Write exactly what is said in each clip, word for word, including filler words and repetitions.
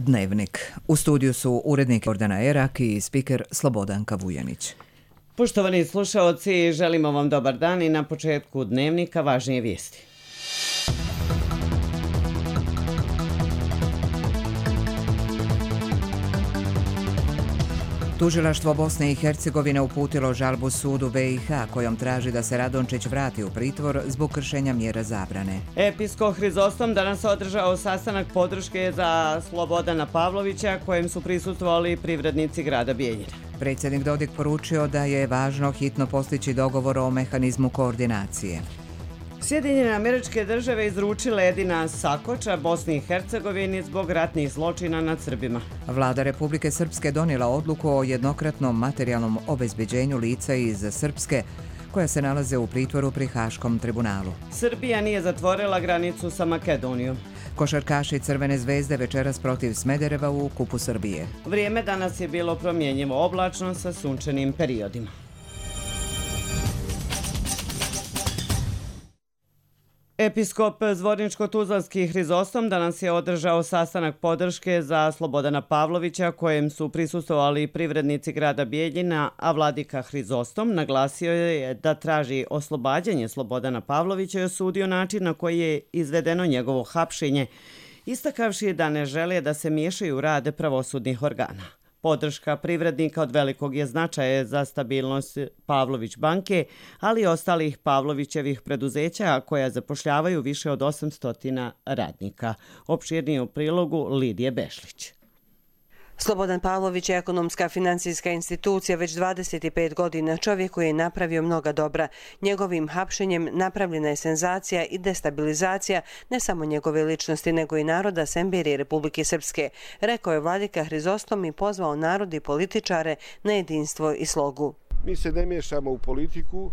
Dnevnik. U studiju su urednik Jordana Erak i spiker Slobodanka Vujanić. Poštovani slušaoci, želimo vam dobar dan i na početku Dnevnika važnije vijesti. Tužilaštvo Bosne i Hercegovine uputilo žalbu sudu B i H kojom traži da se Radončić vrati u pritvor zbog kršenja mjera zabrane. Episkop Hrizostom danas održao sastanak podrške za Slobodana Pavlovića kojem su prisustvovali privrednici grada Bijeljine. Predsjednik Dodik poručio da je važno hitno postići dogovor o mehanizmu koordinacije. Sjedinjene Američke Države izručile Edina Sakoča Bosni i Hercegovini zbog ratnih zločina nad Srbima. Vlada Republike Srpske donijela odluku o jednokratnom materijalnom obezbeđenju lica iz Srpske koja se nalaze u pritvoru pri Haškom tribunalu. Srbija nije zatvorila granicu sa Makedonijom. Košarkaši Crvene zvezde večeras protiv Smedereva u Kupu Srbije. Vrijeme danas je bilo promjenjivo oblačno sa sunčanim periodima. Episkop Zvorničko-Tuzlanski Hrizostom danas je održao sastanak podrške za Slobodana Pavlovića kojem su prisustvovali privrednici grada Bijeljina, a vladika Hrizostom naglasio je da traži oslobađanje Slobodana Pavlovića i osudio način na koji je izvedeno njegovo hapšenje, istakavši da ne žele da se miješaju u rade pravosudnih organa. Podrška privrednika od velikog je značaja za stabilnost Pavlović banke, ali i ostalih Pavlovićevih preduzeća koja zapošljavaju više od osamsto radnika. Opširnije u prilogu Lidije Bešlić. Slobodan Pavlović je ekonomska financijska institucija već dvadeset pet godina, čovjek koji je napravio mnoga dobra. Njegovim hapšenjem napravljena je senzacija i destabilizacija ne samo njegove ličnosti, nego i naroda Semberije Republike Srpske, rekao je vladika Hrizostom i pozvao narod i političare na jedinstvo i slogu. Mi se ne miješamo u politiku,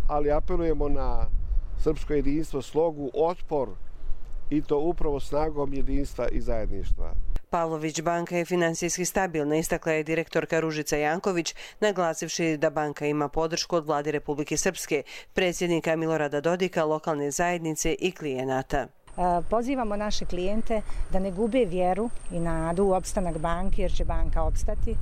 ali apelujemo na srpsko jedinstvo, slogu, otpor i to upravo snagom jedinstva i zajedništva. Pavlović banka je finansijski stabilna, istakla je direktorka Ružica Janković, naglasivši da banka ima podršku od vlade Republike Srpske, predsjednika Milorada Dodika, lokalne zajednice i klijenata. Pozivamo naše klijente da ne gube vjeru i nadu u opstanak banke, jer će banka opstati.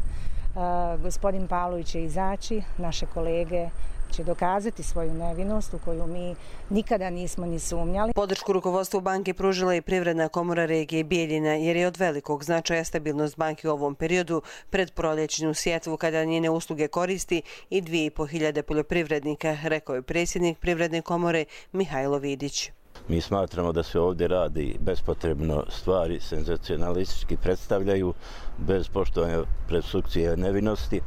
Gospodin Pavlović će izaći, naše kolege će dokazati svoju nevinost u koju mi nikada nismo ni sumnjali. Podršku rukovodstvu banke pružila i Privredna komora regije Bijeljina, jer je od velikog značaja stabilnost banke u ovom periodu pred proljećnu sjetvu kada njene usluge koristi i dvije i po hiljade poljoprivrednika, rekao je predsjednik Privredne komore Mihajlo Vidić. Mi smatramo da se ovdje radi bespotrebno, stvari senzacionalistički predstavljaju bez poštovanja presumpcije nevinosti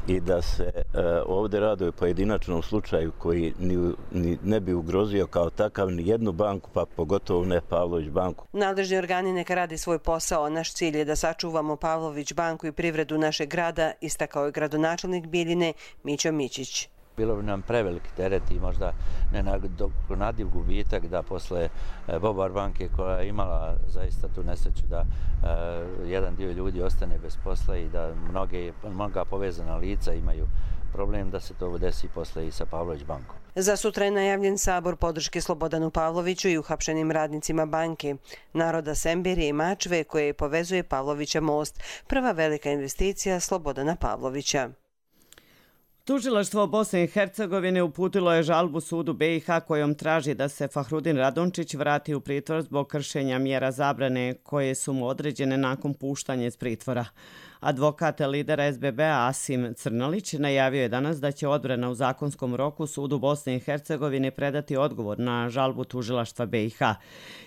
i da se e, ovdje radi o pojedinačnom slučaju koji ni, ni, ne bi ugrozio kao takav ni jednu banku, pa pogotovo ne Pavlović banku. Nadležni organi neka radi svoj posao. Naš cilj je da sačuvamo Pavlović banku i privredu našeg grada, istakao je gradonačelnik Bijeljine Mićo Mićić. Bilo bi nam preveliki teret i možda nenadoknadiv gubitak da posle Bobar banke koja je imala zaista tu nesreću da uh, jedan dio ljudi ostane bez posla i da mnoge, mnoga povezana lica imaju problem da se to desi posle i sa Pavlović bankom. Za sutra je najavljen sabor podrške Slobodanu Pavloviću i uhapšenim radnicima banke, naroda Semberije i Mačve koje povezuje Pavlovića most, prva velika investicija Slobodana Pavlovića. Tužilaštvo Bosne i Hercegovine uputilo je žalbu sudu B i H kojom traži da se Fahrudin Radončić vrati u pritvor zbog kršenja mjera zabrane koje su mu određene nakon puštanja iz pritvora. Advokat lidera S B B-a Asim Crnolić najavio je danas da će odbrana u zakonskom roku sudu Bosne i Hercegovine predati odgovor na žalbu tužilaštva B i H.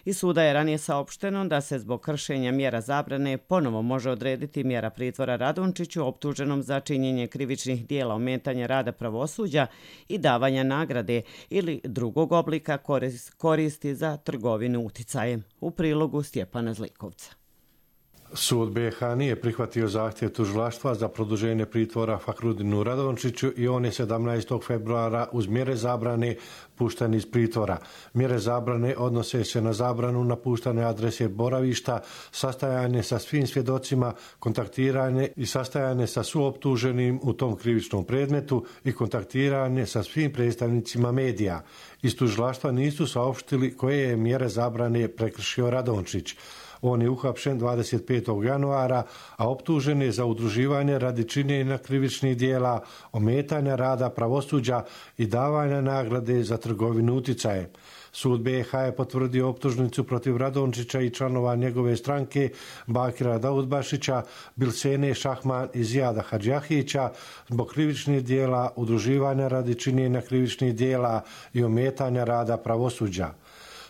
Iz suda je ranije saopšteno da se zbog kršenja mjera zabrane ponovo može odrediti mjera pritvora Radončiću optuženom za činjenje krivičnih dijela ometanja rada pravosuđa i davanja nagrade ili drugog oblika koristi za trgovinu uticajem. U prilogu Stjepana Zlikovca. Sud B i H nije prihvatio zahtjev tužilaštva za produženje pritvora Fahrudinu Radončiću i on je sedamnaestog februara uz mjere zabrane pušten iz pritvora. Mjere zabrane odnose se na zabranu napuštane adrese boravišta, sastajanje sa svim svjedocima, kontaktiranje i sastajanje sa suoptuženim u tom krivičnom predmetu i kontaktiranje sa svim predstavnicima medija. Iz tužilaštva nisu saopštili koje je mjere zabrane prekršio Radončić. On je uhapšen dvadeset petog januara, a optužen je za udruživanje radi činjenja krivičnih dijela, ometanja rada pravosuđa i davanja nagrade za trgovinu uticaje. Sud B iH je potvrdio optužnicu protiv Radončića i članova njegove stranke Bakira Daudbašića, Bilsene Šahman i Zijada Hadžjahića zbog krivičnih dijela, udruživanja radi činjenja krivičnih dijela i ometanja rada pravosuđa.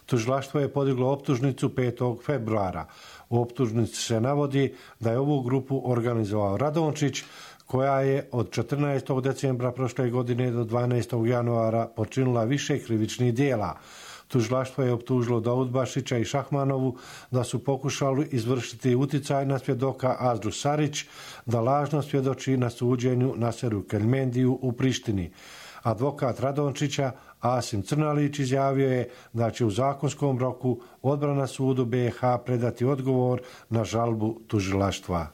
Tužilaštvo je podiglo optužnicu petog februara. U optužnici se navodi da je ovu grupu organizovao Radončić, koja je od četrnaestog decembra prošle godine do dvanaestog januara počinila više krivičnih dijela. Tužilaštvo je optužilo Daudbašića i Šahmanovu da su pokušali izvršiti uticaj na svjedoka Azdru Sarić, da lažno svjedoči na suđenju Naseru Keljmendiju u Prištini. Advokat Radončića Asim Crnalić izjavio je da će u zakonskom roku odbrana sudu B iH predati odgovor na žalbu tužilaštva.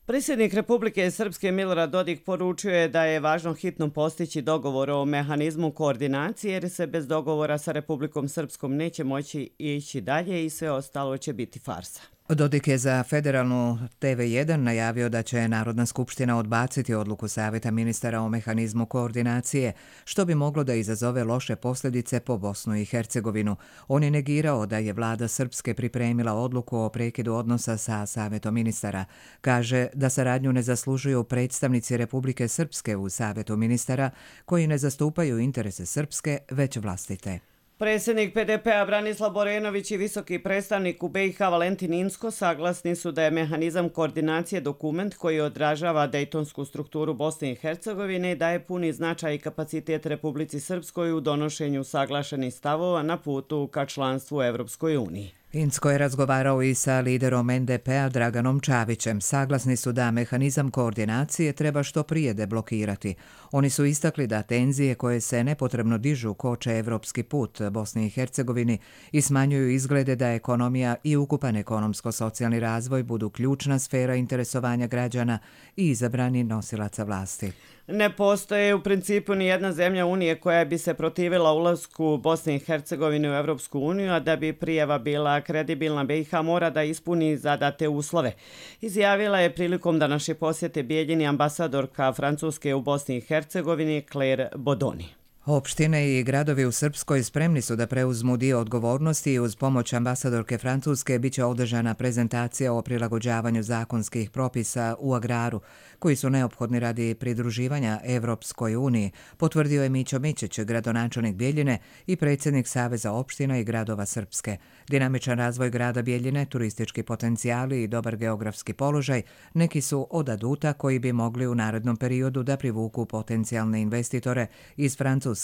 Predsjednik Republike Srpske Milorad Dodik poručio je da je važno hitno postići dogovor o mehanizmu koordinacije jer se bez dogovora sa Republikom Srpskom neće moći ići dalje i sve ostalo će biti farsa. Dodik je za federalnu T V jedan najavio da će Narodna skupština odbaciti odluku Savjeta ministara o mehanizmu koordinacije, što bi moglo da izazove loše posljedice po Bosnu i Hercegovinu. On je negirao da je vlada Srpske pripremila odluku o prekidu odnosa sa Savjetom ministara. Kaže da saradnju ne zaslužuju predstavnici Republike Srpske u Savjetu ministara koji ne zastupaju interese Srpske, već vlastite. Predsjednik P D P-a Branislav Borenović i visoki predstavnik u B iH Valentin Inzko saglasni su da je mehanizam koordinacije dokument koji odražava dejtonsku strukturu Bosne i Hercegovine i daje puni značaj i kapacitet Republici Srpskoj u donošenju saglašenih stavova na putu ka članstvu u Evropskoj uniji. Inzko je razgovarao i sa liderom N D P-a Draganom Čavićem. Saglasni su da mehanizam koordinacije treba što prije deblokirati. Oni su istakli da tenzije koje se nepotrebno dižu koče evropski put Bosni i Hercegovini i smanjuju izglede da ekonomija i ukupan ekonomsko-socijalni razvoj budu ključna sfera interesovanja građana i izabrani nosilaca vlasti. Ne postoje u principu ni jedna zemlja Unije koja bi se protivila ulasku Bosne i Hercegovine u Evropsku uniju, a da bi prijava bila kredibilna B iH mora da ispuni zadate uslove. Izjavila je prilikom današnje posjete Bijeljini ambasadorka Francuske u Bosni i Hercegovini Claire Bodoni. Opštine i gradovi u Srpskoj spremni su da preuzmu dio odgovornosti i uz pomoć ambasadorke Francuske biće održana prezentacija o prilagođavanju zakonskih propisa u agraru, koji su neophodni radi pridruživanja Evropskoj uniji, potvrdio je Mićo Mićić, gradonačelnik Bijeljine i predsjednik Saveza opština i gradova Srpske. Dinamičan razvoj grada Bijeljine, turistički potencijali i dobar geografski položaj neki su od aduta koji bi mogli u narednom periodu da privuku potencijalne investitore iz Francuske.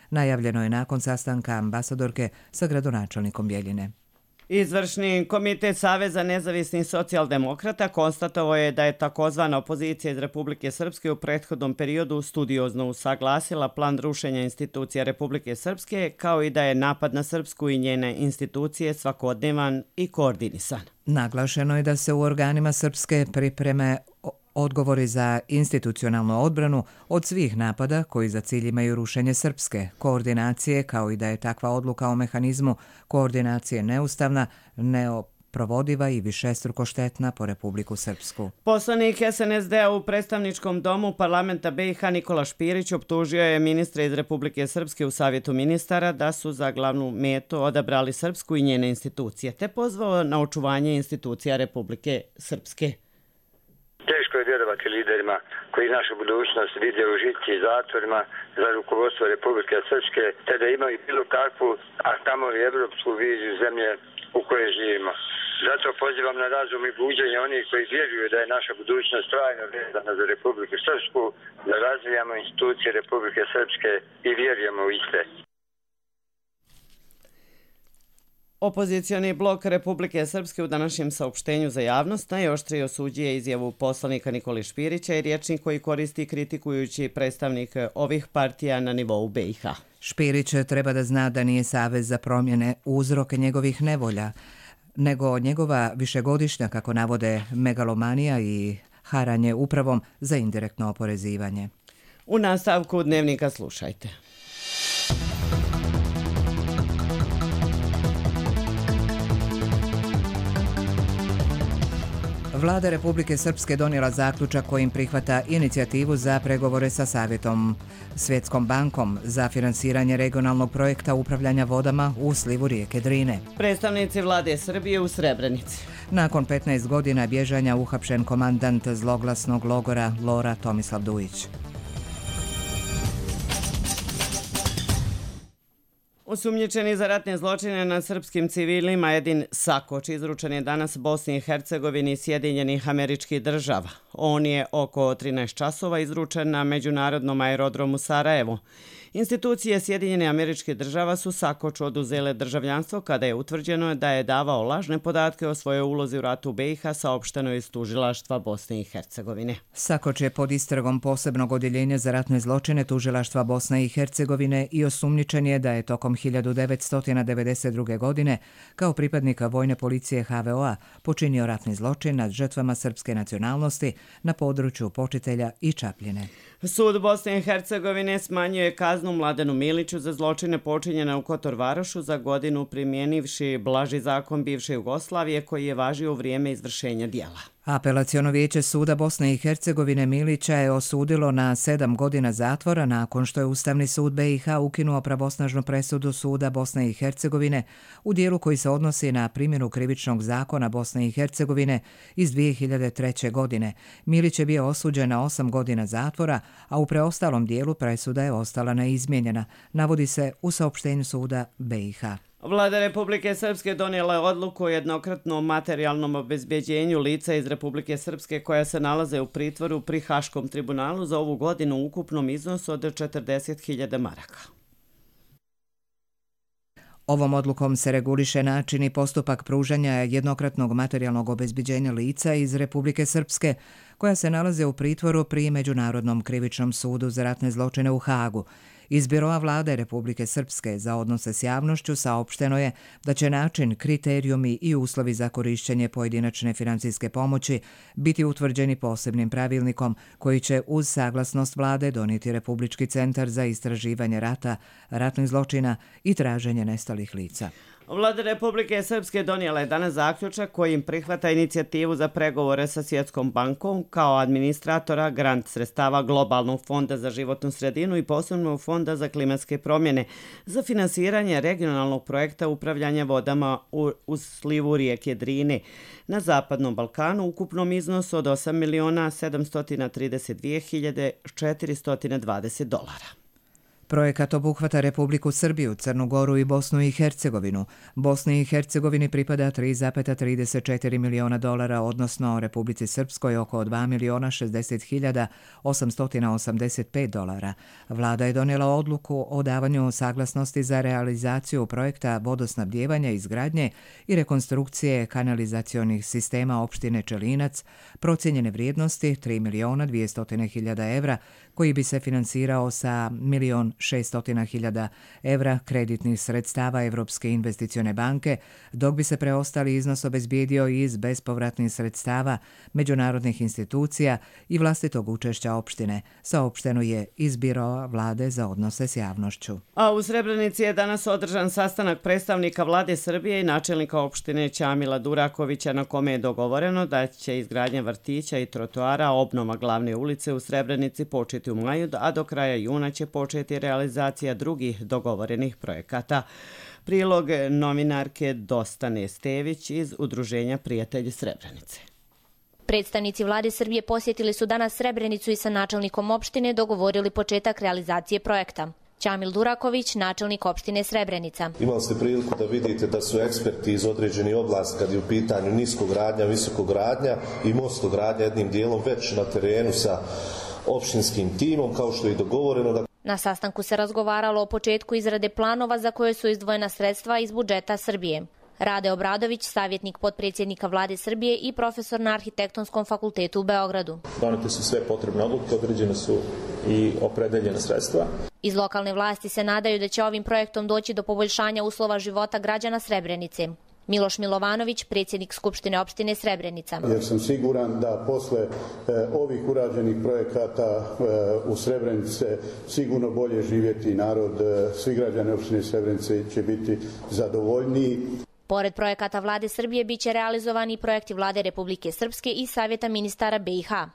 Najavljeno je nakon sastanka ambasadorke sa gradonačelnikom Bijeljine. Izvršni komitet Saveza nezavisnih socijaldemokrata konstatovao je da je takozvana opozicija iz Republike Srpske u prethodnom periodu studiozno usaglasila plan rušenja institucija Republike Srpske, kao i da je napad na Srpsku i njene institucije svakodnevan i koordinisan. Naglašeno je da se u organima Srpske pripreme odgovori za institucionalnu odbranu od svih napada koji za cilj imaju rušenje Srpske, koordinacije, kao i da je takva odluka o mehanizmu koordinacije neustavna, neoprovodiva i višestruko štetna po Republiku Srpsku. Poslanik S N S D-a u predstavničkom domu parlamenta B iH Nikola Špirić optužio je ministre iz Republike Srpske u Savjetu ministara da su za glavnu metu odabrali Srpsku i njene institucije, te pozvao na očuvanje institucija Republike Srpske. Teško je vjerovati liderima koji našu budućnost vide u žici i zatvorima za rukovodstvo Republike Srpske, te da imaju bilo kakvu, a kamoli evropsku viziju zemlje u kojoj živimo. Zato pozivam na razum i buđenje onih koji vjeruju da je naša budućnost trajno vezana za Republiku Srpsku, da razvijamo institucije Republike Srpske i vjerujemo u iste. Opozicioni blok Republike Srpske u današnjem saopštenju za javnost najoštrije osuđuje izjavu poslanika Nikoli Špirića i rječnik koji koristi kritikujući predstavnik ovih partija na nivou B iH. Špirić treba da zna da nije Savez za promjene uzrok njegovih nevolja, nego njegova višegodišnja, kako navode, megalomanija i haranje upravom za indirektno oporezivanje. U nastavku Dnevnika slušajte. Vlada Republike Srpske donijela zaključak kojim prihvata inicijativu za pregovore sa Savjetom Svjetskom bankom za finansiranje regionalnog projekta upravljanja vodama u slivu rijeke Drine. Predstavnici vlade Srbije u Srebrenici. Nakon petnaest godina bježanja uhapšen komandant zloglasnog logora Lora Tomislav Dujić. Osumnjičeni za ratne zločine nad srpskim civilima Edin Sakoč izručen je danas Bosni i Hercegovini i Sjedinjenih Američkih Država. On je oko trinaest časova izručen na međunarodnom aerodromu Sarajevo. Institucije Sjedinjene Američke Država su Sakoču oduzele državljanstvo kada je utvrđeno da je davao lažne podatke o svojoj ulozi u ratu u B i H, saopšteno iz tužilaštva Bosne i Hercegovine. Sakoč je pod istragom posebnog odjeljenja za ratne zločine tužilaštva Bosne i Hercegovine i osumnjičen je da je tokom hiljadu devetsto devedeset druge. godine kao pripadnika vojne policije H V O-a počinio ratni zločin nad žrtvama srpske nacionalnosti na području Počitelja i Čapljine. Sud Bosne i Hercegovine smanjuje kaznu Mladenu Miliću za zločine počinjene u Kotor Varošu za godinu primjenivši blaži zakon bivše Jugoslavije koji je važio u vrijeme izvršenja dijela. Apelaciono vijeće suda Bosne i Hercegovine Milića je osudilo na sedam godina zatvora nakon što je Ustavni sud B i H ukinuo pravosnažnu presudu suda Bosne i Hercegovine u dijelu koji se odnosi na primjenu krivičnog zakona Bosne i Hercegovine iz dvije hiljade treće. godine. Milić je bio osuđen na osam godina zatvora, a u preostalom dijelu presuda je ostala neizmijenjena, navodi se u saopštenju suda B i H. Vlada Republike Srpske donijela je odluku o jednokratnom materijalnom obezbeđenju lica iz Republike Srpske koja se nalaze u pritvoru pri Haškom tribunalu za ovu godinu u ukupnom iznosu od četrdeset hiljada maraka. Ovom odlukom se reguliše način i postupak pružanja jednokratnog materijalnog obezbeđenja lica iz Republike Srpske koja se nalaze u pritvoru pri Međunarodnom krivičnom sudu za ratne zločine u Hagu. Iz Biroa vlade Republike Srpske za odnose s javnošću saopšteno je da će način, kriterijumi i uslovi za korišćenje pojedinačne financijske pomoći biti utvrđeni posebnim pravilnikom koji će uz saglasnost vlade donijeti Republički centar za istraživanje rata, ratnih zločina i traženje nestalih lica. Vlada Republike Srpske donijela je danas zaključak kojim prihvata inicijativu za pregovore sa Svjetskom bankom kao administratora grant sredstava Globalnog fonda za životnu sredinu i posebnog fonda za klimatske promjene za finansiranje regionalnog projekta upravljanja vodama u, u slivu rijeke Drine na Zapadnom Balkanu u ukupnom iznosu od osam miliona sedamsto trideset dvije hiljade četiristo dvadeset dolara. Projekat obuhvata Republiku Srbiju, Crnu Goru i Bosnu i Hercegovinu. Bosni i Hercegovini pripada tri zarez trideset četiri miliona dolara, odnosno Republici Srpskoj oko dva miliona šezdeset hiljada osamsto osamdeset pet dolara. Vlada je donijela odluku o davanju saglasnosti za realizaciju projekta vodosnabdijevanja, izgradnje i rekonstrukcije kanalizacionih sistema opštine Čelinac, procijenjene vrijednosti tri miliona dvjesto hiljada evra, koji bi se finansirao sa milion šesto hiljada evra kreditnih sredstava Evropske investicione banke, dok bi se preostali iznos obezbijedio iz bespovratnih sredstava međunarodnih institucija i vlastitog učešća opštine, saopšteno je iz Biroa vlade za odnose s javnošću. A u Srebrenici je danas održan sastanak predstavnika vlade Srbije i načelnika opštine Ćamila Durakovića na kome je dogovoreno da će izgradnja vrtića i trotoara, obnova glavne ulice u Srebrenici početi u maju, a do kraja juna će početi realizacija drugih dogovorenih projekata. Prilog novinarke Dostane Stević iz Udruženja Prijatelji Srebrenice. Predstavnici vlade Srbije posjetili su danas Srebrenicu i sa načelnikom opštine dogovorili početak realizacije projekta. Ćamil Duraković, načelnik opštine Srebrenica. Imali ste priliku da vidite da su eksperti iz određenih oblasti kad je u pitanju niskogradnja, visokogradnja i mostogradnja jednim dijelom već na terenu sa opštinskim timom, kao što je i dogovoreno. Da... Na sastanku se razgovaralo o početku izrade planova za koje su izdvojena sredstva iz budžeta Srbije. Rade Obradović, savjetnik potpredsjednika vlade Srbije i profesor na Arhitektonskom fakultetu u Beogradu. Donete su sve potrebne odluke, određene su i opredeljene sredstva. Iz lokalne vlasti se nadaju da će ovim projektom doći do poboljšanja uslova života građana Srebrenice. Miloš Milovanović, predsjednik Skupštine opštine Srebrenica. Jer sam siguran da posle e, ovih urađenih projekata e, u Srebrenice sigurno bolje živjeti narod, e, svi građani opštine Srebrenice će biti zadovoljniji. Pored projekata Vlade Srbije biće realizovani i projekti Vlade Republike Srpske i Savjeta ministara B i H.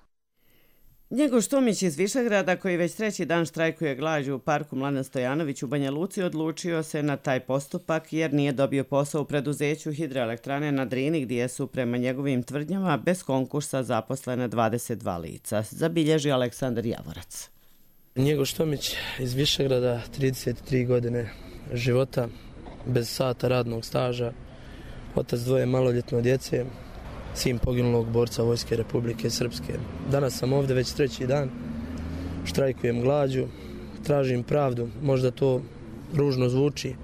Njegoš Tomić iz Višegrada, koji već treći dan štrajkuje glađu u parku Mladen Stojanović u Banja Luci, odlučio se na taj postupak jer nije dobio posao u preduzeću hidroelektrane na Drini, gdje su prema njegovim tvrdnjama bez konkursa zaposlene dvadeset dva lica. Zabilježi Aleksandar Javorac. Njegoš Tomić iz Višegrada, trideset tri godine života, bez sata radnog staža, otac dvoje maloljetne djece, sin poginulog borca Vojske Republike Srpske. Danas sam ovdje već treći dan, štrajkujem glađu, tražim pravdu, možda to ružno zvuči.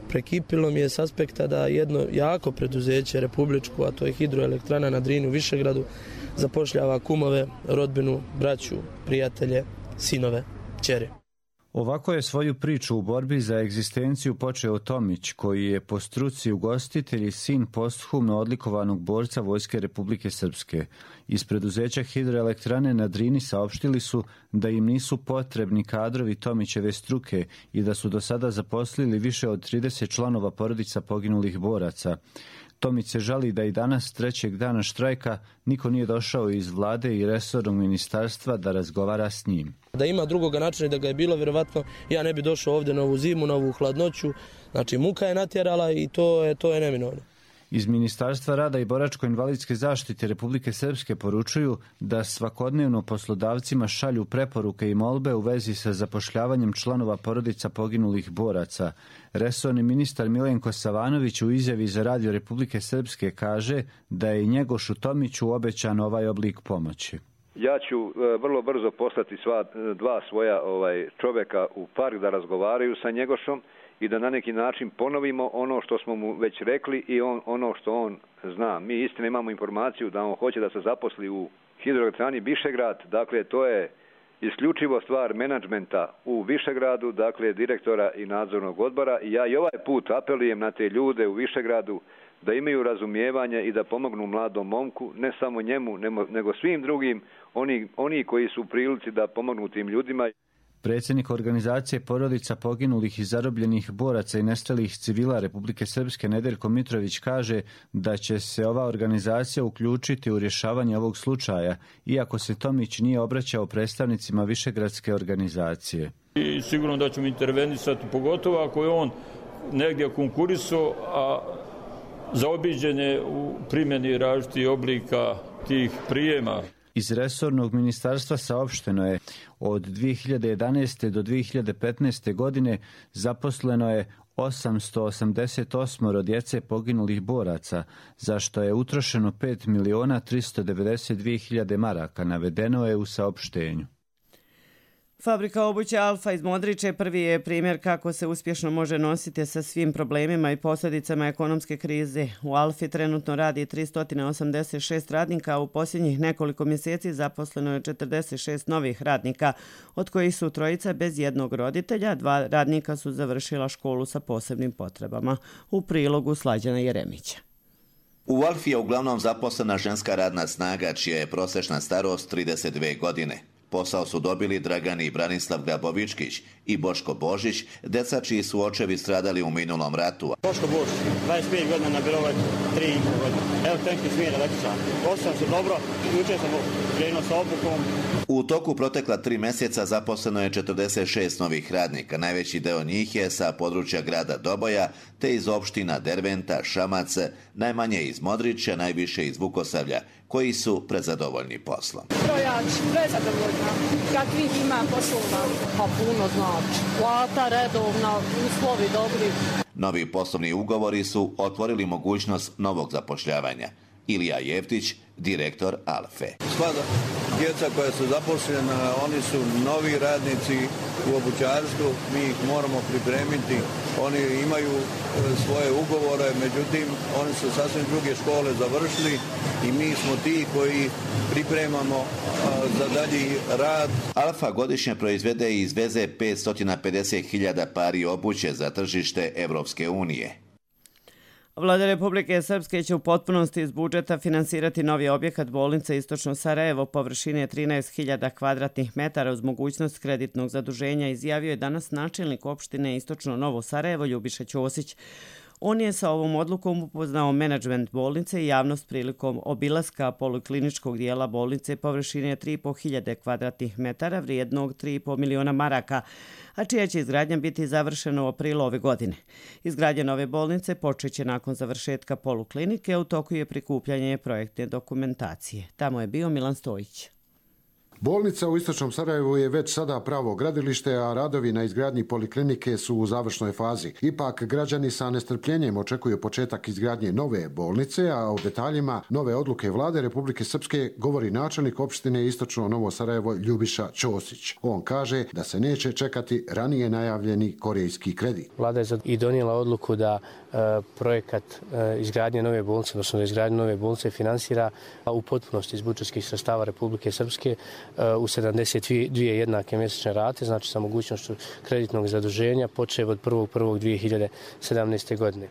Prekipilo mi je s aspekta da jedno jako preduzeće republičko, a to je hidroelektrana na Drini u Višegradu, zapošljava kumove, rodbinu, braću, prijatelje, sinove, ćeri. Ovako je svoju priču u borbi za egzistenciju počeo Tomić, koji je po struci ugostitelj i sin posthumno odlikovanog borca Vojske Republike Srpske. Iz preduzeća hidroelektrane na Drini saopštili su da im nisu potrebni kadrovi Tomićeve struke i da su do sada zaposlili više od trideset članova porodica poginulih boraca. Tomić se žali da i danas, trećeg dana štrajka, niko nije došao iz vlade i resornog ministarstva da razgovara s njim. Da ima drugoga načina i da ga je bilo, vjerovatno ja ne bi došao ovdje na ovu zimu, na ovu hladnoću. Znači muka je natjerala i to je, to je neminovno. Iz Ministarstva rada i boračko-invalidske zaštite Republike Srpske poručuju da svakodnevno poslodavcima šalju preporuke i molbe u vezi sa zapošljavanjem članova porodica poginulih boraca. Resorni ministar Milenko Savanović u izjavi za Radio Republike Srpske kaže da je i Njegošu Tomiću obećan ovaj oblik pomoći. Ja ću vrlo brzo poslati sva dva svoja ovaj, čovjeka u park da razgovaraju sa Njegošom i da na neki način ponovimo ono što smo mu već rekli i on, ono što on zna. Mi istina imamo informaciju da on hoće da se zaposli u hidroelektrani Višegrad, dakle to je isključivo stvar menadžmenta u Višegradu, dakle direktora i nadzornog odbora i ja i ovaj put apelujem na te ljude u Višegradu da imaju razumijevanje i da pomognu mladom momku, ne samo njemu, nego svim drugim, oni, oni koji su u prilici da pomognu tim ljudima. Predsjednik organizacije porodica poginulih i zarobljenih boraca i nestalih civila Republike Srpske Nedeljko Mitrović kaže da će se ova organizacija uključiti u rješavanje ovog slučaja, iako se Tomić nije obraćao predstavnicima Višegradske organizacije. I sigurno da ćemo intervenisati, pogotovo ako je on negdje konkurisao, a zaobiđen je u primjeni različitih oblika tih prijema. Iz resornog ministarstva saopšteno je od dvije hiljade jedanaeste do dvije hiljade petnaeste. godine zaposleno je osamsto osamdeset osam djece poginulih boraca, za što je utrošeno pet miliona tristo devedeset dvije hiljade maraka, navedeno je u saopštenju. Fabrika obuće Alfa iz Modriče prvi je primjer kako se uspješno može nositi sa svim problemima i posljedicama ekonomske krize. U Alfi trenutno radi tristo osamdeset šest radnika, a u posljednjih nekoliko mjeseci zaposleno je četrdeset šest novih radnika, od kojih su trojica bez jednog roditelja, dva radnika su završila školu sa posebnim potrebama. U prilogu Slađana Jeremića. U Alfi je uglavnom zaposlena ženska radna snaga, čija je prosječna starost trideset dvije godine. Posao su dobili Dragani Branislav Grabovičkić i Boško Božić, deca čiji su očevi stradali u minulom ratu. Boško Božić, dvadeset pet godina na Birovoj, tri i pol godine. Evo tenki smjer električan. Osam se dobro, jučer sam krenuo sa obukom. U toku protekla tri mjeseca zaposleno je četrdeset šest novih radnika. Najveći deo njih je sa područja grada Doboja, te iz opština Derventa, Šamac, najmanje iz Modrića, najviše iz Vukosavlja, koji su prezadovoljni poslom. Strojač, prezadovoljna. Kakvih ima poslova? Pa puno znači. Plata redovna, uslovi dobri. Novi poslovni ugovori su otvorili mogućnost novog zapošljavanja. Ilija Jeftić, direktor Alfe. Sva djeca koja su zaposlena, oni su novi radnici u obućarstvu, mi ih moramo pripremiti. Oni imaju svoje ugovore, međutim, oni su sasvim druge škole završili i mi smo ti koji pripremamo za dalji rad. Alfa godišnje proizvede i izveze petsto pedeset hiljada pari obuće za tržište Evropske unije. Vlada Republike Srpske će u potpunosti iz budžeta finansirati novi objekat bolnice Istočno Sarajevo površine trinaest hiljada kvadratnih metara uz mogućnost kreditnog zaduženja, izjavio je danas načelnik opštine Istočno Novo Sarajevo Ljubiša Ćosić. On je sa ovom odlukom upoznao menadžment bolnice i javnost prilikom obilaska polikliničkog dijela bolnice površine tri i po hiljade kvadratnih metara vrijednog tri i po miliona maraka, a čija će izgradnja biti završena u aprilu ove godine. Izgradnja nove bolnice počeće nakon završetka poluklinike, a u toku je prikupljanje projektne dokumentacije. Tamo je bio Milan Stojić. Bolnica u istočnom Sarajevu je već sada pravo gradilište, a radovi na izgradnji poliklinike su u završnoj fazi. Ipak građani sa nestrpljenjem očekuju početak izgradnje nove bolnice, a o detaljima nove odluke vlade Republike Srpske govori načelnik opštine Istočno Novo Sarajevo Ljubiša Ćosić. On kaže da se neće čekati ranije najavljeni korejski kredit. Vlada je i donijela odluku da e, projekat e, izgradnje nove bolnice, odnosno da izgradnje nove bolnice finansira u potpunosti iz budžetskih sredstava Republike Srpske u sedamdeset dvije jednake mjesečne rate, znači sa mogućnošću kreditnog zaduženja, počev od prvog prvog dvije hiljade sedamnaeste. godine.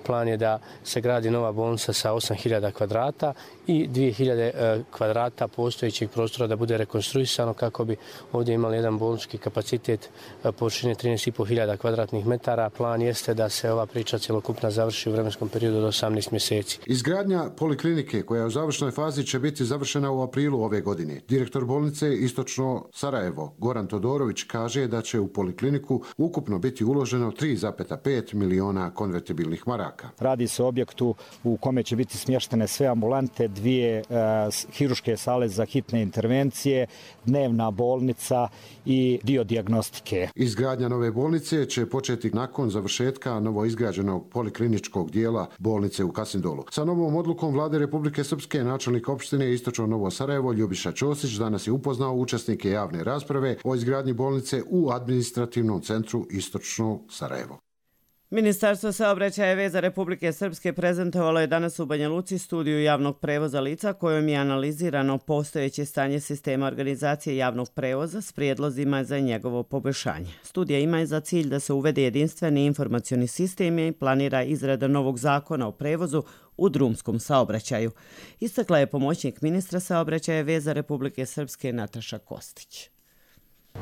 Plan je da se gradi nova bolnica sa osam hiljada kvadrata i dvije hiljade kvadrata postojećeg prostora da bude rekonstruisano kako bi ovdje imali jedan bolnički kapacitet površine trinaest i po hiljada kvadratnih metara. Plan jeste da se ova priča cjelokupna završi u vremenskom periodu od osamnaest mjeseci. Izgradnja poliklinike koja je u završnoj fazi će biti završena u aprilu ove godine. Direktor bolnice Istočno Sarajevo Goran Todorović kaže da će u polikliniku ukupno biti uloženo tri zarez pet miliona konvertibilnih maraka. Radi se o objektu u kome će biti smještene sve ambulante, dvije uh, hiruške sale za hitne intervencije, dnevna bolnica i dio dijagnostike. Izgradnja nove bolnice će početi nakon završetka novoizgrađenog polikliničkog dijela bolnice u Kasindolu. Sa novom odlukom vlade Republike Srpske načelnik opštine Istočno Novo Sarajevo Ljubiša Ćosić danas je upoznao učesnike javne rasprave o izgradnji bolnice u administrativnom centru Istočno Sarajevo. Ministarstvo saobraćaja i veza Republike Srpske prezentovalo je danas u Banja Luci studiju javnog prevoza lica kojom je analizirano postojeće stanje sistema organizacije javnog prevoza s prijedlozima za njegovo poboljšanje. Studija ima za cilj da se uvede jedinstveni informacioni sistem i planira izrada novog zakona o prevozu u drumskom saobraćaju. Istakla je pomoćnik ministra saobraćaja i veza Republike Srpske Nataša Kostić.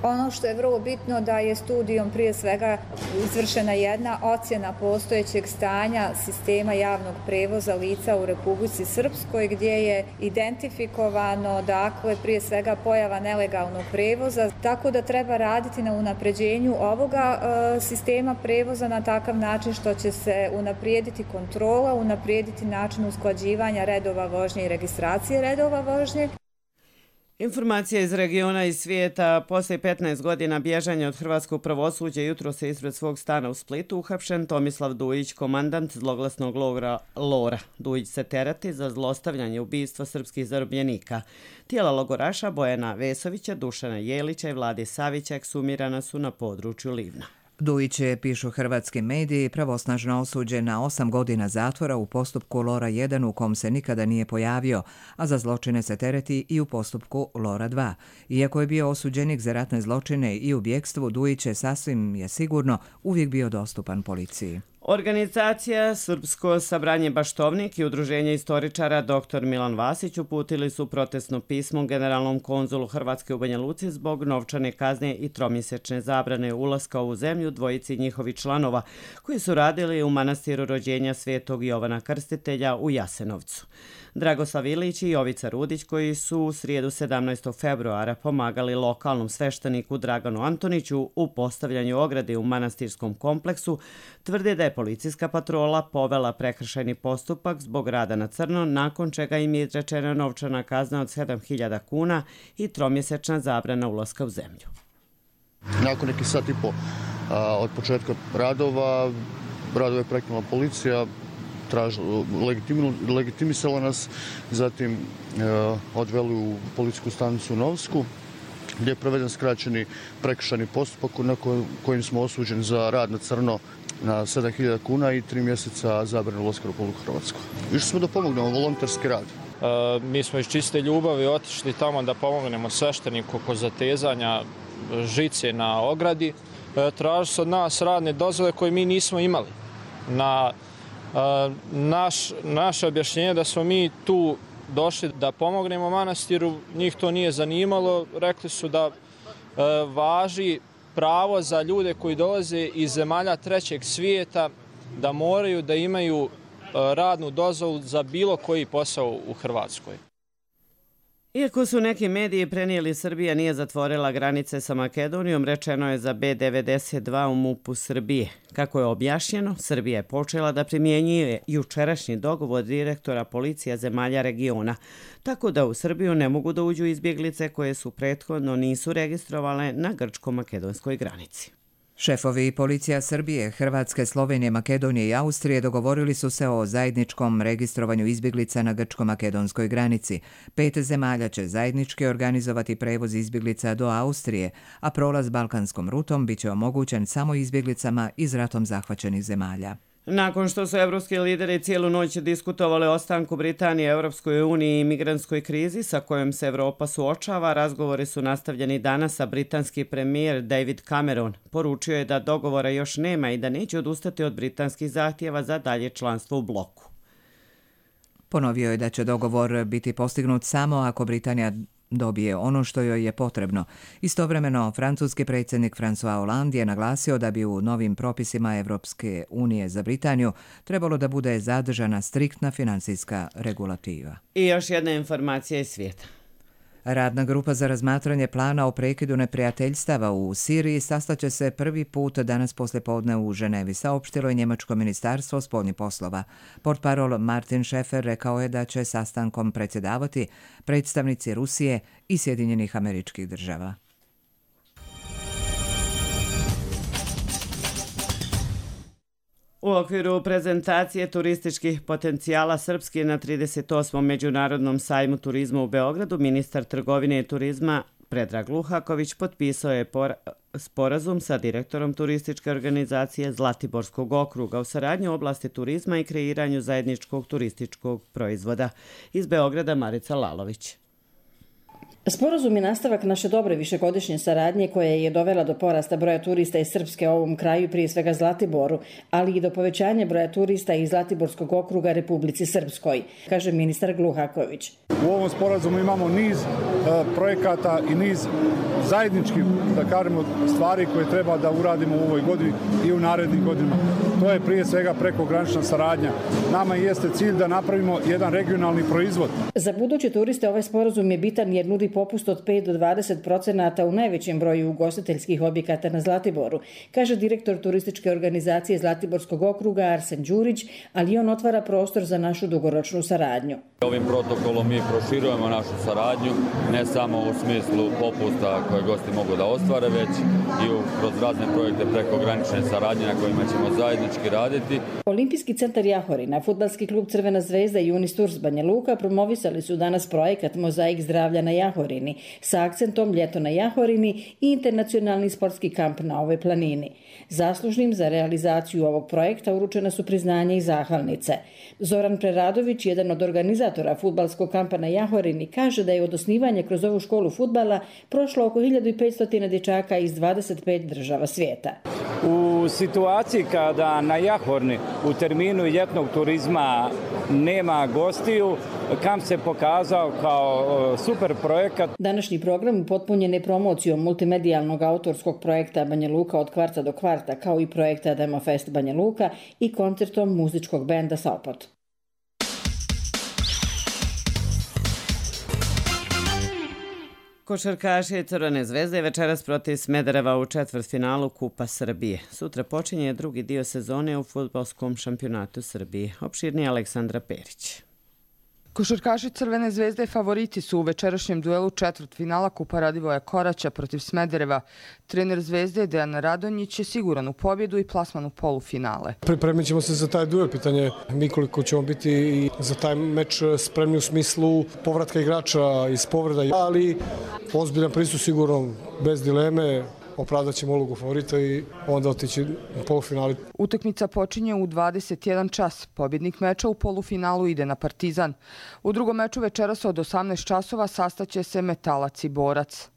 Ono što je vrlo bitno da je studijom prije svega izvršena jedna ocjena postojećeg stanja sistema javnog prevoza lica u Republici Srpskoj gdje je identifikovano dakle prije svega pojava nelegalnog prevoza, tako da treba raditi na unapređenju ovoga e, sistema prevoza na takav način što će se unaprijediti kontrola, unaprijediti način usklađivanja redova vožnje i registracije redova vožnje. Informacija iz regiona i svijeta. Poslije petnaest godina bježanja od hrvatskog pravosuđa jutro se ispred svog stana u Splitu uhapšen Tomislav Dujić, komandant zloglasnog logora Lora. Dujić se tereti za zlostavljanje ubistva srpskih zarobljenika. Tijela logoraša Bojana Vesovića, Dušana Jelića i Vlade Savića eksumirana su na području Livna. Dujić je, pišu hrvatski mediji, pravosnažno osuđen na osam godina zatvora u postupku Lora jedan u kom se nikada nije pojavio, a za zločine se tereti i u postupku Lora dva. Iako je bio osuđenik za ratne zločine i u bjekstvu, Dujić je sasvim je sigurno uvijek bio dostupan policiji. Organizacija Srpsko sabranje Baštovnik i Udruženje istoričara doktor Milan Vasić uputili su protestno pismo generalnom konzulu Hrvatske u Banja Luci zbog novčane kazne i tromjesečne zabrane ulaska u zemlju dvojici njihovih članova koji su radili u manastiru rođenja Svetog Jovana Krstitelja u Jasenovcu. Dragoslav Ilić i Jovica Rudić, koji su u srijedu sedamnaestog februara pomagali lokalnom svešteniku Draganu Antoniću u postavljanju ograde u manastirskom kompleksu, tvrde da je policijska patrola povela prekršajni postupak zbog rada na crno, nakon čega im je izrečena novčana kazna od sedam hiljada kuna i tromjesečna zabrana ulaska u zemlju. Nakon neki sat i po a, od početka radova, radove je prekinula policija, legitimisala nas, zatim e, odveli u policijsku stanicu u Novsku, gdje je proveden skraćeni prekršajni postupak na kojim smo osuđeni za rad na crno na sedam hiljada kuna i tri mjeseca zabrane ulaska u Republiku Hrvatsku. Išli smo da pomognemo volonterski rad. E, mi smo iz čiste ljubavi otišli tamo da pomognemo svešteniku oko zatezanja žice na ogradi. E, tražili su od nas radne dozvole koje mi nismo imali. Na e, naš, naše objašnjenje da smo mi tu došli da pomognemo manastiru, njih to nije zanimalo. Rekli su da e, važi pravo za ljude koji dolaze iz zemalja trećeg svijeta da moraju da imaju radnu dozvolu za bilo koji posao u Hrvatskoj. Iako su neki mediji prenijeli Srbija nije zatvorila granice sa Makedonijom, rečeno je za B devedeset dva u MUP-u Srbije. Kako je objašnjeno, Srbija je počela da primjenjuje jučerašnji dogovor direktora policija zemalja regiona, tako da u Srbiju ne mogu da uđu izbjeglice koje su prethodno nisu registrovale na grčko-makedonskoj granici. Šefovi policija Srbije, Hrvatske, Slovenije, Makedonije i Austrije dogovorili su se o zajedničkom registrovanju izbjeglica na grčko-makedonskoj granici. Pet zemalja će zajednički organizovati prevoz izbjeglica do Austrije, a prolaz balkanskom rutom biće omogućen samo izbjeglicama iz ratom zahvaćenih zemalja. Nakon što su evropski lideri cijelu noć diskutovali o ostanku Britanije, Europskoj uniji i migrantskoj krizi sa kojom se Evropa suočava, razgovori su nastavljeni danas, a britanski premijer David Cameron poručio je da dogovora još nema i da neće odustati od britanskih zahtjeva za dalje članstvo u bloku. Ponovio je da će dogovor biti postignut samo ako Britanija dobije ono što joj je potrebno. Istovremeno, francuski predsjednik François Hollande je naglasio da bi u novim propisima Evropske unije za Britaniju trebalo da bude zadržana striktna financijska regulativa. I još jedna informacija iz svijeta. Radna grupa za razmatranje plana o prekidu neprijateljstava u Siriji sastaće se prvi put danas poslijepodne u Ženevi, saopštilo je njemačko ministarstvo spoljnih poslova. Portparol Martin Schäfer rekao je da će sastankom predsjedavati predstavnici Rusije i Sjedinjenih Američkih Država. U okviru prezentacije turističkih potencijala Srpske na trideset osmom Međunarodnom sajmu turizma u Beogradu, ministar trgovine i turizma Predrag Luhaković potpisao je sporazum sa direktorom turističke organizacije Zlatiborskog okruga u saradnji u oblasti turizma i kreiranju zajedničkog turističkog proizvoda. Iz Beograda Marica Lalović. Sporazum je nastavak naše dobre višegodišnje saradnje koja je dovela do porasta broja turista iz Srpske u ovom kraju, prije svega Zlatiboru, ali i do povećanja broja turista iz Zlatiborskog okruga Republici Srpskoj, kaže ministar Gluhaković. U ovom sporazumu imamo niz e, projekata i niz zajedničkih, da kažemo, stvari koje treba da uradimo u ovoj godini i u narednim godinama. To je prije svega prekogranična saradnja. Nama jeste cilj da napravimo jedan regionalni proizvod. Za buduće turiste ovaj sporazum je bitan jer nudi popust od pet do dvadeset procenata u najvećem broju ugostiteljskih objekata na Zlatiboru, kaže direktor turističke organizacije Zlatiborskog okruga Arsen Đurić, ali on otvara prostor za našu dugoročnu saradnju. Ovim protokolom mi proširujemo našu saradnju, ne samo u smislu popusta koje gosti mogu da ostvare, već i kroz razne projekte prekogranične saradnje na kojima ćemo zajednički raditi. Olimpijski centar Jahorina, fudbalski klub Crvena zvezda i Unisturs Banja Luka promovisali su danas projekat Mozaik zdravlja na Jahorini sa akcentom Ljeto na Jahorini i internacionalni sportski kamp na ovoj planini. Zaslužnim za realizaciju ovog projekta uručena su priznanja i zahvalnice. Zoran Preradović, jedan od organizatora fudbalskog kampa na Jahorini, kaže da je od osnivanja kroz ovu školu fudbala prošlo oko hiljadu petsto dječaka iz dvadeset pet država svijeta. U situaciji kada na Jahorni u terminu ljetnog turizma nema gostiju, kamp se pokazao kao super projekat. Današnji program upotpunjen je promocijom multimedijalnog autorskog projekta Banja Luka od kvarta do kvarta, kao i projekta Demofest Banja Luka i koncertom muzičkog benda Sopot. Košarkaši Crvene zvezde večeras protiv Smedereva u četvrtfinalu Kupa Srbije. Sutra počinje drugi dio sezone u fudbalskom šampionatu Srbije. Opširnije Aleksandra Perić. Košarkaši Crvene zvezde favoriti su u večerašnjem duelu četvrtfinala Kupa Radivoja Koraća protiv Smedereva. Trener Zvezde Dejan Radonjić je siguran u pobjedu i plasman u polufinale. Pripremit ćemo se za taj duel, pitanje mi koliko ćemo biti i za taj meč spremni u smislu povratka igrača iz povreda, ali ozbiljan pristup sigurno, bez dileme. Opravdat ćemo ulogu favorita i onda otići u polufinali. Utakmica počinje u dvadeset jedan čas. Pobjednik meča u polufinalu ide na Partizan. U drugom meču večeras od osamnaest časova sastaće se Metalac i Borac.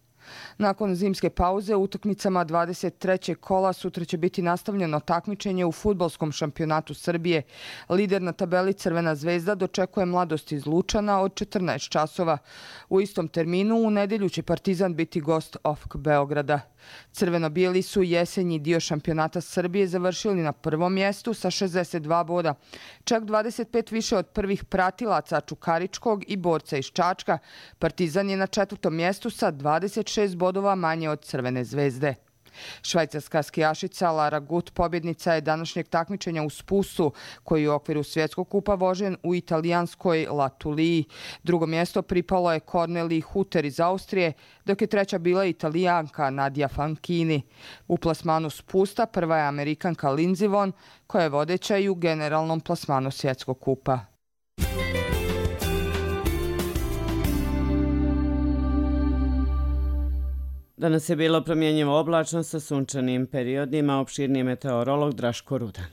Nakon zimske pauze u utakmicama dvadeset trećeg kola sutra će biti nastavljeno takmičenje u fudbalskom šampionatu Srbije. Lider na tabeli Crvena zvezda dočekuje Mladost iz Lučana od četrnaest časova. U istom terminu u nedelju će Partizan biti gost O F K Beograda. Crveno-bijeli su jesenji dio šampionata Srbije završili na prvom mjestu sa šezdeset dva boda. Čak dvadeset pet više od prvih pratilaca Čukaričkog i borca iz Čačka. Partizan je na četvrtom mjestu sa dvadeset šest bodova manje od Crvene zvezde. Švajcarska skijašica Lara Gut pobjednica je današnjeg takmičenja u spustu, koji je u okviru svjetskog kupa vožen u italijanskoj La Tuliji. Drugo mjesto pripalo je Corneli Huter iz Austrije, dok je treća bila Italijanka Nadia Fanchini. U plasmanu spusta prva je Amerikanka Lindsey Vonn, koja je vodeća i u generalnom plasmanu svjetskog kupa. Danas je bilo promjenjivo oblačno sa sunčanim periodima, opširni meteorolog Draško Rudan.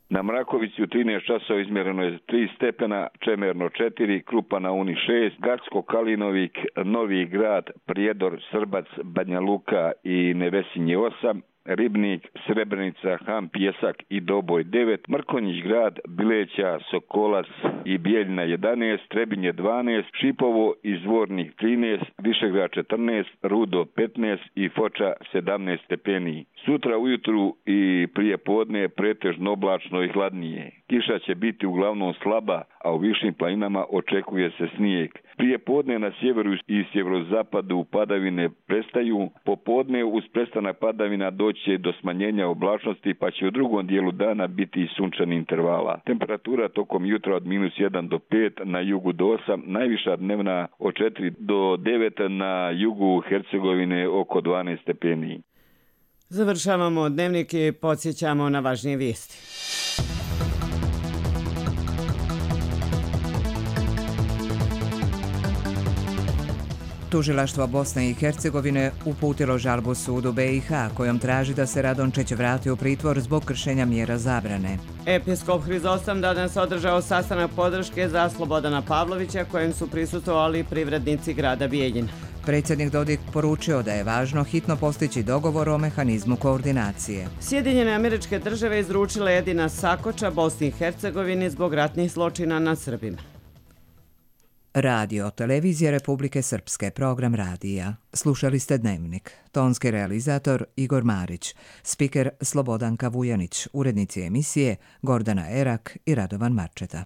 Na Mrakovici u trinaest časova izmjereno je tri stepena, Čemerno četiri, Krupa na Uni šest, Gacko, Kalinovik, Novi Grad, Prijedor, Srbac, Banja Luka i Nevesinje osam, Ribnik, Srebrenica, Han, Pjesak i Doboj devet, Mrkonjić grad, Bileća, Sokolac i Bijeljina jedanaest, Trebinje dvanaest, Šipovo i Zvornik trinaest, Višegrad četrnaest, Rudo petnaest i Foča sedamnaest stepeni. Sutra ujutru i prije podne pretežno oblačno i hladnije. Kiša će biti uglavnom slaba, a u višim planinama očekuje se snijeg. Prije podne na sjeveru i sjeverozapadu padavine prestaju, popodne uz prestanak padavina doći do smanjenja oblačnosti, pa će u drugom dijelu dana biti i sunčani intervala. Temperatura tokom jutra od minus jedan do pet, na jugu do osam, najviša dnevna od četiri do devet, na jugu Hercegovine oko dvanaest stepeni. Završavamo dnevnik i podsjećamo na važnije vijesti. Tužilaštvo Bosne i Hercegovine uputilo žalbu sudu B i H kojom traži da se Radončić vrati u pritvor zbog kršenja mjera zabrane. Episkop Hrizostom danas održao sastanak podrške za Slobodana Pavlovića kojem su prisustvovali privrednici grada Bijeljina. Predsjednik Dodik poručio da je važno hitno postići dogovor o mehanizmu koordinacije. Sjedinjene Američke Države izručile Edina Sakoča Bosni i Hercegovini zbog ratnih zločina nad Srbima. Radio, televizija Republike Srpske, program radija. Slušali ste Dnevnik. Tonski realizator Igor Marić, spiker Slobodanka Vujanić, urednici emisije Gordana Erak i Radovan Marčeta.